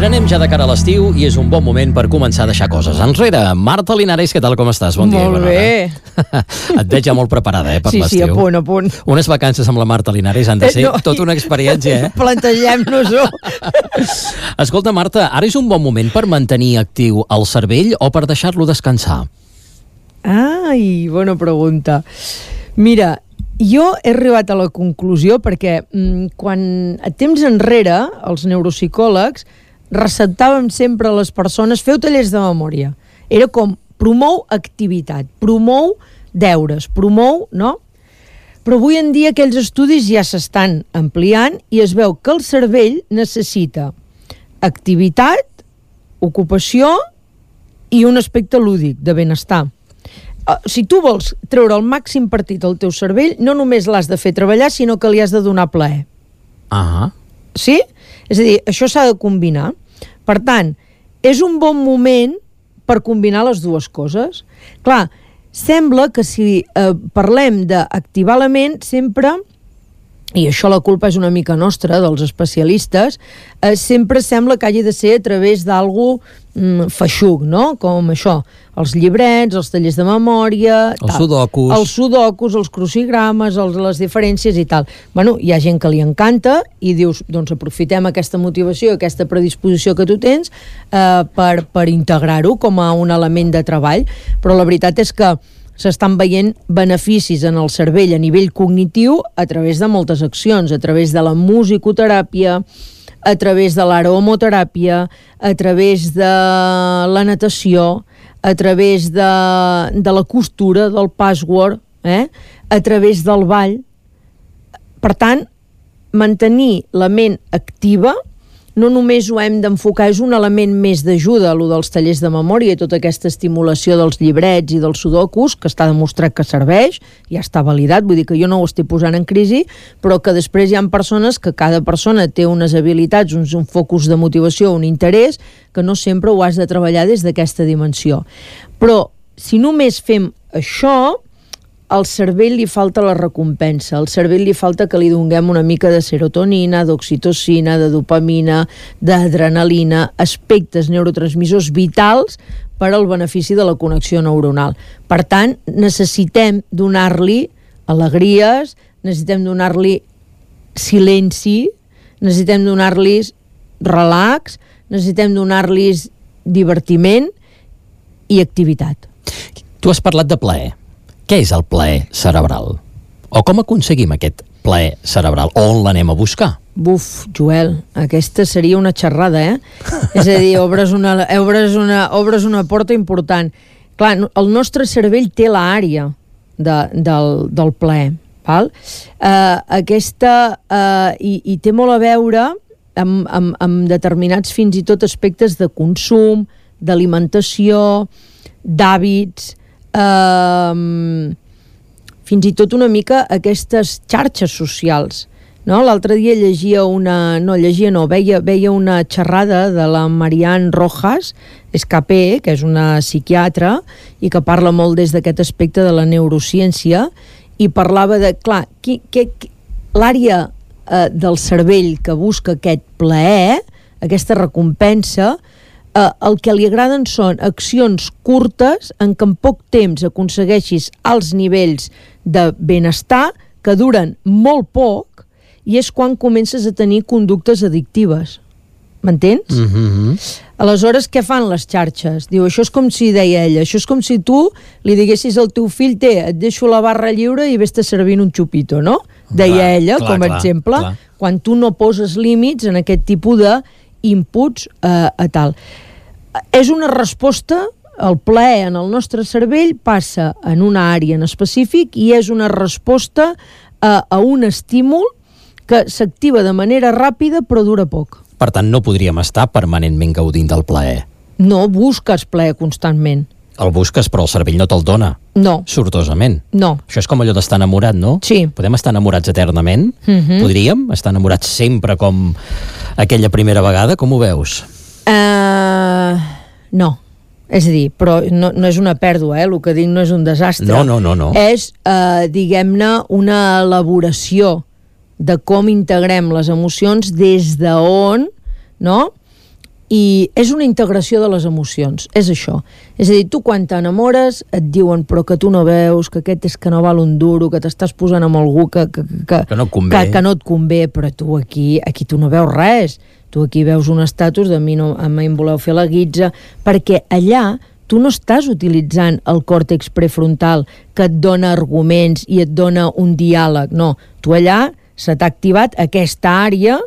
anem ja de cara a l'estiu i és un bon moment per començar a deixar coses enrere. Marta Linares, què tal, com estàs? Bon dia. Molt bé. Et veig ja molt preparada, per l'estiu. Sí, a punt. Unes vacances amb la Marta Linares han de ser tota una experiència, Plantegem-nos-ho. Escolta, Marta, ara és un bon moment per mantenir actiu el cervell o per deixar-lo descansar? Ai, bona pregunta. Mira, jo he arribat a la conclusió perquè quan a temps enrere els neuropsicòlegs receptàvem sempre a les persones feu tallers de memòria. Era com promou activitat, promou deures, promou, no? Però avui en dia aquells estudis ja s'estan ampliant i es veu que el cervell necessita activitat, ocupació i un aspecte lúdic, de benestar. Si tu vols treure el màxim partit al teu cervell, no només l'has de fer treballar, sinó que li has de donar plaer. Sí? És a dir, això s'ha de combinar. Per tant, és un bon moment per combinar les dues coses. Clar, sembla que si parlem d'activar la ment, sempre, i això la culpa és una mica nostra, dels especialistes, sempre sembla que hagi de ser a través d'algú feixuc, no? Com això, els llibrets, els tallers de memòria... Els sudokus. Els sudokus, els crucigrames, les diferències i tal. Bueno, hi ha gent que li encanta i dius, doncs aprofitem aquesta motivació, aquesta predisposició que tu tens per integrar-ho com a un element de treball, però la veritat és que s'estan veient beneficis en el cervell a nivell cognitiu a través de moltes accions, a través de la musicoteràpia, a través de l'aromoteràpia, a través de la natació, a través de la costura, del patchwork, a través del ball. Per tant, mantenir la ment activa no només ho hem d'enfocar, és un element més d'ajuda, allò dels tallers de memòria i tota aquesta estimulació dels llibrets i dels sudokus, que està demostrat que serveix, ja està validat, vull dir que jo no ho estic posant en crisi, però que després hi ha persones que cada persona té unes habilitats, un focus de motivació, un interès, que no sempre ho has de treballar des d'aquesta dimensió. Però si només fem això, al cervell li falta la recompensa, al cervell li falta que li donem una mica de serotonina, d'oxitocina, de dopamina, d'adrenalina, aspectes neurotransmissors vitals per al benefici de la connexió neuronal. Per tant, necessitem donar-li alegries, necessitem donar-li silenci, necessitem donar-li relax, necessitem donar-li divertiment i activitat. Tu has parlat de plaer. Què és el plaer cerebral? O com aconseguim aquest plaer cerebral? O on l'anem a buscar? Buf, Joel, aquesta seria una xerrada, És a dir, obres una porta important. Clar, el nostre cervell té l'àrea del plaer, val? I té molt a veure amb determinats fins i tot aspectes de consum, d'alimentació, d'hàbits, fins i tot una mica aquestes xarxes socials, no? L'altre dia veia una xerrada de la Marianne Rojas Escapé, que és una psiquiatra i que parla molt des d'aquest aspecte de la neurociència, i parlava de, clar, l'àrea del cervell que busca aquest plaer, aquesta recompensa, el que li agraden són accions curtes en què en poc temps aconsegueixis alts nivells de benestar que duren molt poc i és quan comences a tenir conductes addictives. M'entens? Aleshores, què fan les xarxes? Diu, això és com si, deia ella, això és com si tu li diguessis al teu fill, et deixo la barra lliure i vés-te servint un xupito, no? Deia ella, com a exemple, quan tu no poses límits en aquest tipus d'inputs a tal. És una resposta, el plaer en el nostre cervell passa en una àrea en específic i és una resposta a un estímul que s'activa de manera ràpida però dura poc. Per tant, no podríem estar permanentment gaudint del plaer. No, busques plaer constantment. El busques, però el cervell no te'l dona. No. Sortosament. No. Això és com allò d'estar enamorat, no? Sí. Podem estar enamorats eternament? Podríem estar enamorats sempre com aquella primera vegada? Com ho veus? No. És a dir, però no és una pèrdua, el que dic no és un desastre. No. És, diguem-ne, una elaboració de com integrem les emocions des d'on, no? i és una integració de les emocions, és això. És a dir, tu quan t'enamores et diuen però que tu no veus, que aquest és que no val un duro, que t'estàs posant amb algú que no et convé. Que no et convé, però tu aquí tu no veus res. Tu aquí veus un estatus de a mi em voleu fer la guitza, perquè allà tu no estàs utilitzant el còrtex prefrontal que et dona arguments i et dona un diàleg, no. Tu allà se t'ha activat aquesta àrea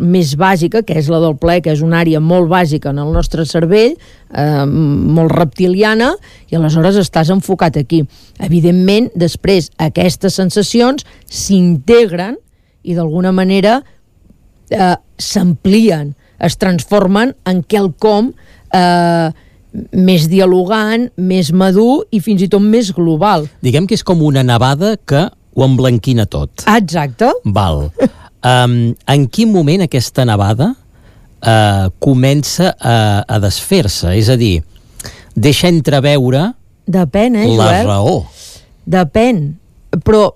més bàsica, que és la del plaer, que és una àrea molt bàsica en el nostre cervell, molt reptiliana, i aleshores estàs enfocat aquí. Evidentment, després, aquestes sensacions s'integren i d'alguna manera s'amplien, es transformen en quelcom més dialogant, més madur i fins i tot més global. Diguem que és com una nevada que ho emblanquina tot. Exacte. Val. En quin moment aquesta nevada comença a desfer-se? És a dir, deixa entreveure Depèn, la Joel? raó. Depèn. Però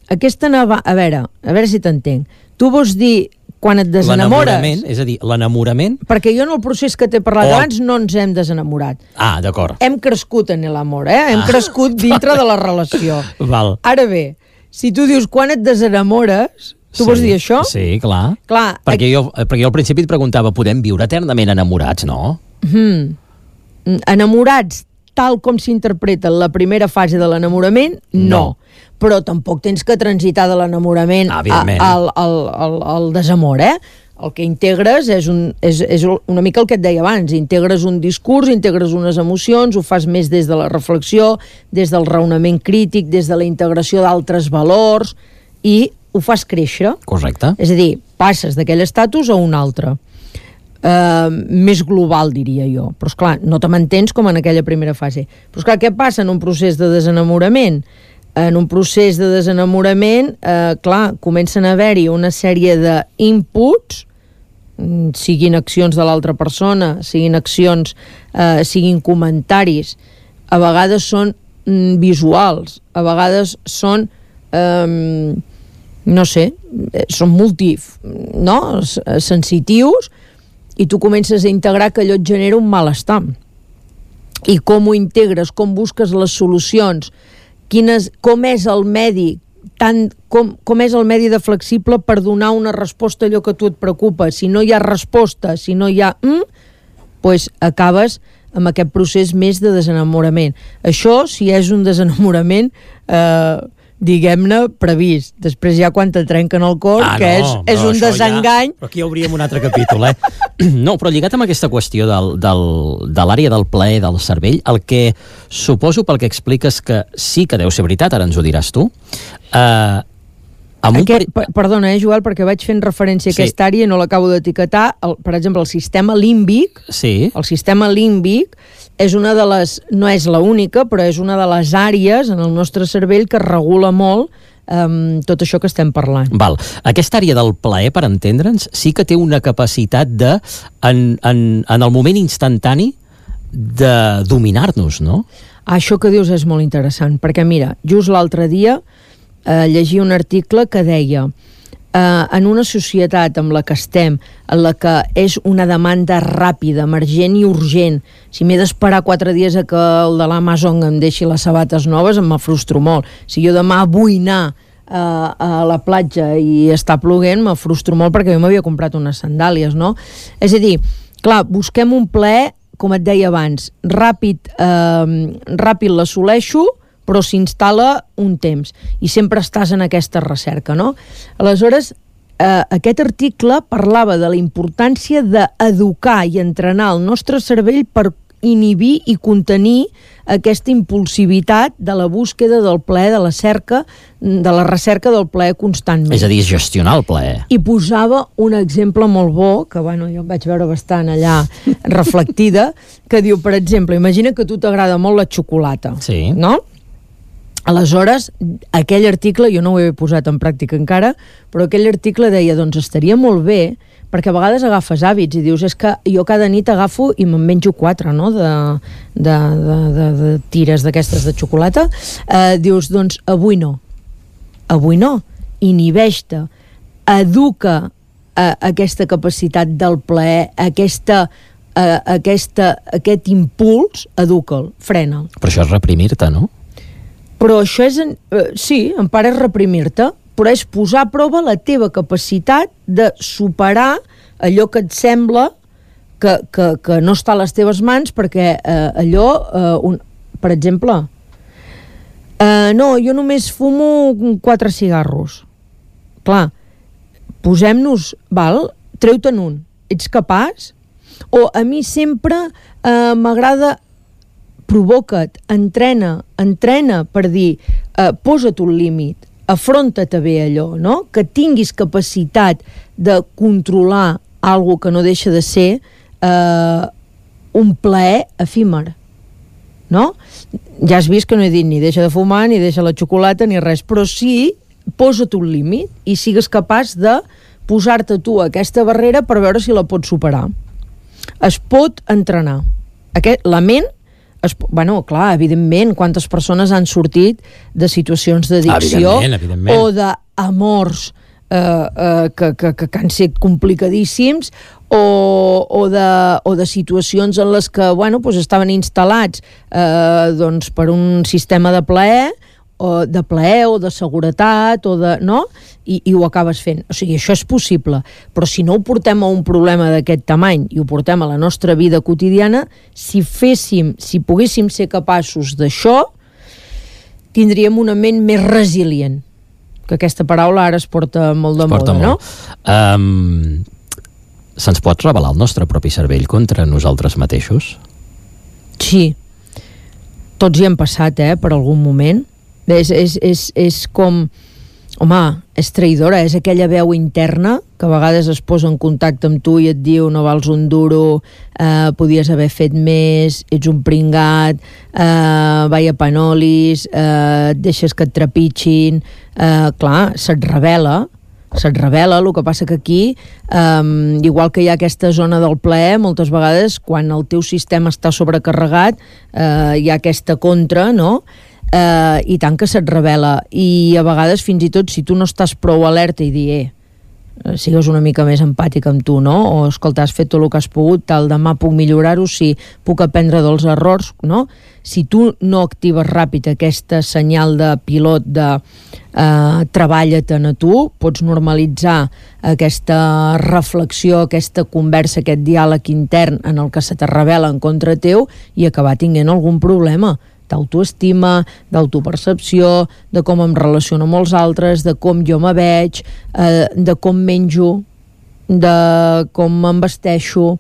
aquesta nevada... A veure si t'entenc. Tu vols dir quan et desenamores... L'enamorament, és a dir, l'enamorament... Perquè jo en el procés que t'he parlat abans no ens hem desenamorat. Ah, d'acord. Hem crescut en l'amor, Hem crescut dintre de la relació. Val. Ara bé, si tu dius quan et desenamores, tu vols dir això? Sí, clar. Perquè jo al principi et preguntava, podem viure eternament enamorats, no? Enamorats, tal com s'interpreta la primera fase de l'enamorament, no. Però tampoc tens que transitar de l'enamorament al desamor, El que integres és una mica el que et deia abans, integres un discurs, integres unes emocions, ho fas més des de la reflexió, des del raonament crític, des de la integració d'altres valors, i ho fas créixer. Correcte. És a dir, passes d'aquell estatus a un altre. Més global, diria jo. Però, esclar, no te mantens com en aquella primera fase. Però, esclar, què passa en un procés de desenamorament? En un procés de desenamorament, clar, comencen a haver-hi una sèrie d'inputs, siguin accions de l'altra persona, siguin accions, siguin comentaris, a vegades són visuals, a vegades són, no sé, són sensitius, i tu comences a integrar que allò et genera un malestar. I com ho integres, com busques les solucions, com és el medi, com és el medi de flexible per donar una resposta a allò que a tu et preocupa. Si no hi ha resposta, si no hi ha doncs acabes amb aquest procés més de desenamorament. Això, si és un desenamorament, diguem-ne, previst. Després ja quan te trenquen el cor, és un desengany. Però aquí obríem un altre capítol, No, però lligat amb aquesta qüestió de l'àrea del plaer del cervell, el que suposo pel que expliques que sí que deu ser veritat, ara ens ho diràs tu, perdona, Joel, perquè vaig fent referència a aquesta àrea i no l'acabo d'etiquetar. Per exemple, el sistema límbic, el sistema límbic és una de les, no és l'única, però és una de les àrees en el nostre cervell que regula molt tot això que estem parlant. Val. Aquesta àrea del plaer, per entendre'ns, sí que té una capacitat de, en el moment instantani, de dominar-nos, no? Això que dius és molt interessant, perquè mira, just l'altre dia llegia un article que deia en una societat amb la que estem, en la que és una demanda ràpida, emergent i urgent, si m'he d'esperar 4 dies a que el de l'Amazon em deixi les sabates noves, em frustro molt. Si jo demà vull anar a la platja i està ploguent, me frustro molt perquè jo m'havia comprat unes sandàlies, no? És a dir, clar, busquem un plaer, com et deia abans, ràpid l'assoleixo, però s'instal·la un temps i sempre estàs en aquesta recerca, no? Aleshores, aquest article parlava de la importància d'educar i entrenar el nostre cervell per inhibir i contenir aquesta impulsivitat de la búsqueda del plaer, de la recerca del plaer constantment. És a dir, gestionar el plaer. I posava un exemple molt bo, que jo em vaig veure bastant allà reflectida, que diu, per exemple, imagina que a tu t'agrada molt la xocolata, no? Aleshores, aquell article, jo no ho he posat en pràctica encara, però aquell article deia, doncs estaria molt bé, perquè a vegades agafes hàbits i dius, és que jo cada nit agafo i me'n menjo 4, no?, de tires d'aquestes de xocolata. Dius, doncs avui no, inhibeix-te, educa aquesta capacitat del plaer, aquest impuls, educa'l, frena'l. Però això és reprimir-te, no? Però això és... sí, en part és reprimir-te, però és posar a prova la teva capacitat de superar allò que et sembla que no està a les teves mans, perquè per exemple, no, jo només fumo 4 cigarros. Clar, posem-nos, treu-te'n un, ets capaç? O a mi sempre m'agrada, provoca't, entrena per dir, posa't un límit, afronta't bé allò, no? Que tinguis capacitat de controlar algo que no deixa de ser un plaer efímer, no? Ja has vist que no he dit ni deixa de fumar, ni deixa la xocolata, ni res, però sí, posa't un límit i sigues capaç de posar-te tu aquesta barrera per veure si la pots superar. Es pot entrenar. La ment, clar, evidentment, quantes persones han sortit de situacions d'addicció o d'amors que han estat complicadíssims o de situacions en les que estaven instal·lats per un sistema de plaer o de seguretat i ho acabes fent. O sigui, això és possible, però si no ho portem a un problema d'aquest tamany i ho portem a la nostra vida quotidiana, si poguéssim ser capaços d'això, tindríem una ment més resilient, que aquesta paraula ara es porta molt de moda, no? Se'ns pot rebel·lar el nostre propi cervell contra nosaltres mateixos? Sí. Tots hi hem passat, per algun moment. És com... Home, és traïdora, és aquella veu interna que a vegades es posa en contacte amb tu i et diu no vals un duro, podies haver fet més, ets un pringat, vaya panolis, deixes que et trepitgin. Clar, se't revela, el que passa que aquí, igual que hi ha aquesta zona del plaer, moltes vegades quan el teu sistema està sobrecarregat, hi ha aquesta contra, no?, i tant que se't revela, i a vegades fins i tot si tu no estàs prou alerta i dir sigues una mica més empàtic amb tu, no? O escolta, has fet tot el que has pogut, demà puc millorar-ho, sí, puc aprendre dels errors, no? Si tu no actives ràpid aquesta senyal de pilot de treballa-te'n a tu, pots normalitzar aquesta reflexió, aquesta conversa, aquest diàleg intern en el que se te revela en contra teu i acabar tinguent algun problema d'autoestima, d'autopercepció, de com em relaciono amb els altres, de com jo me veig, de com menjo, de com em vesteixo,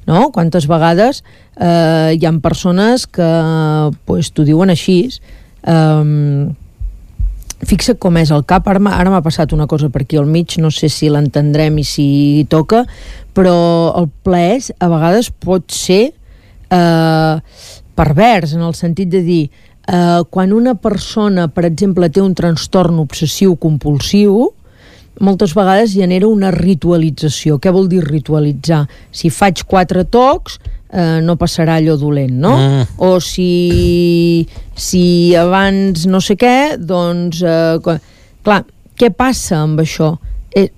no? Quantes vegades hi ha persones que t'ho diuen així. Fixa't com és el cap, ara m'ha passat una cosa per aquí al mig, no sé si l'entendrem i si toca, però el plaer a vegades pot ser pervers, en el sentit de dir quan una persona, per exemple, té un trastorn obsessiu-compulsiu, moltes vegades genera una ritualització. Què vol dir ritualitzar? Si faig 4 tocs, no passarà allò dolent, no? O si abans no sé què, doncs... clar, què passa amb això?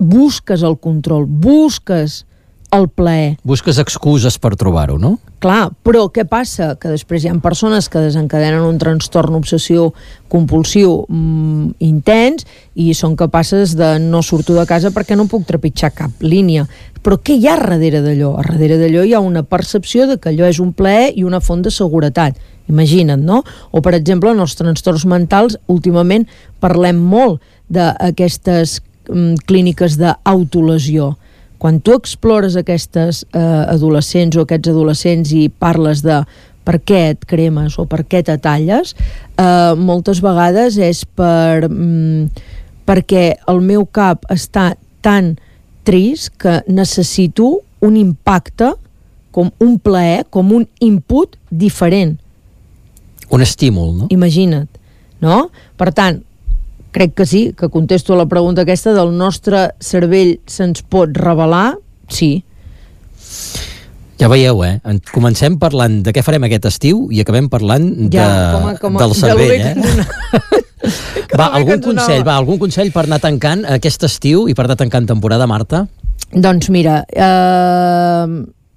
Busques el control, busques el plaer. Busques excuses per trobar-ho, no? Clar, però què passa? Que després hi ha persones que desencadenen un trastorn obsessiu-compulsiu intens i són capaces de no sortir de casa perquè no puc trepitjar cap línia. Però què hi ha darrere d'allò? A darrere d'allò hi ha una percepció de que allò és un plaer i una font de seguretat. Imagina't, no? O, per exemple, en els trastorns mentals, últimament parlem molt d'aquestes clíniques d'autolesió. Quan tu explores aquestes adolescents o aquests adolescents i parles de per què et cremes o per què te talles, moltes vegades és perquè el meu cap està tan trist que necessito un impacte, com un plaer, com un input diferent. Un estímul, no? Imagina't, no? Per tant, crec que sí, que contesto a la pregunta aquesta del nostre cervell se'ns pot revelar, sí. Ja veieu, comencem parlant de què farem aquest estiu i acabem parlant del cervell, Va, algun consell per anar tancant aquest estiu i per anar tancant temporada, Marta? Doncs mira,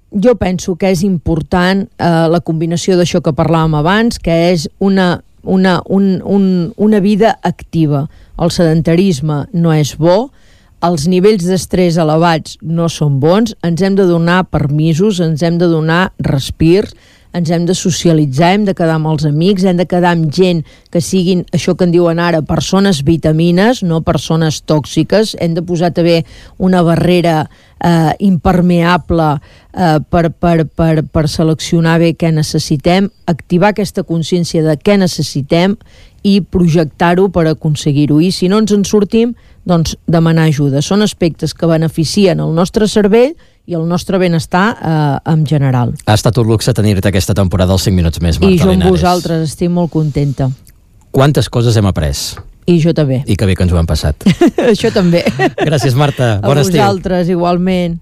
jo penso que és important la combinació d'això que parlàvem abans, que és una vida activa. El sedentarisme no és bo, els nivells d'estrès elevats no són bons, ens hem de donar permisos, ens hem de donar respirs, ens hem de socialitzar, hem de quedar amb els amics, hem de quedar amb gent que siguin, això que en diuen ara, persones vitamines, no persones tòxiques, hem de posar també una barrera impermeable per seleccionar bé què necessitem, activar aquesta consciència de què necessitem i projectar-ho per aconseguir-ho. I si no ens en sortim, doncs demanar ajuda. Són aspectes que beneficien el nostre cervell i el nostre benestar en general. Ha estat un luxe tenir-te aquesta temporada als 5 minuts més, Marta Linares. I jo amb vosaltres estic molt contenta. Quantes coses hem après? I jo també. I que bé que ens ho hem passat. Això també. Gràcies, Marta. Bon estiu. A vosaltres, igualment.